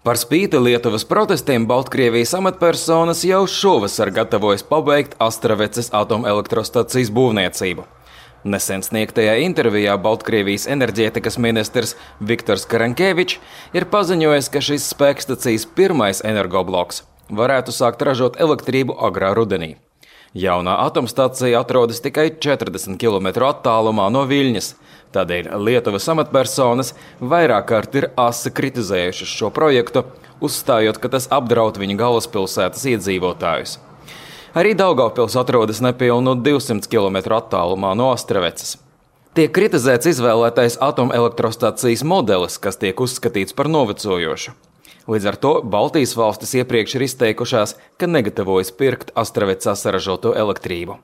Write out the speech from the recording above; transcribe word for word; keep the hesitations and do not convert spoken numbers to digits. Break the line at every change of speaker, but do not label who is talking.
Par spīti Lietuvas protestiem Baltkrievijas amatpersonas jau šovasar gatavojas pabeigt Astraveces atomelektrostacijas būvniecību. Nesen sniegtajā intervijā Baltkrievijas enerģētikas ministrs Viktors Karankevičs ir paziņojis, ka šis spēkstacijas pirmais energobloks varētu sākt ražot elektrību agrā rudenī. Jaunā atomstacija atrodas tikai četrdesmit kilometru attālumā no Viļņas, tādēļ Lietuvas amatpersonas vairāk kārt ir asi kritizējušas šo projektu, uzstājot, ka tas apdraud viņu galvaspilsētas iedzīvotājus. Arī Daugavpils atrodas nepilnu divsimt kilometru attālumā no Astraveces. Tiek kritizēts izvēlētais atomelektrostacijas modelis, kas tiek uzskatīts par novecojošu. Līdz ar to Baltijas valstis iepriekš ir izteikušās, ka negatavojas pirkt Astravecā saražoto elektrību.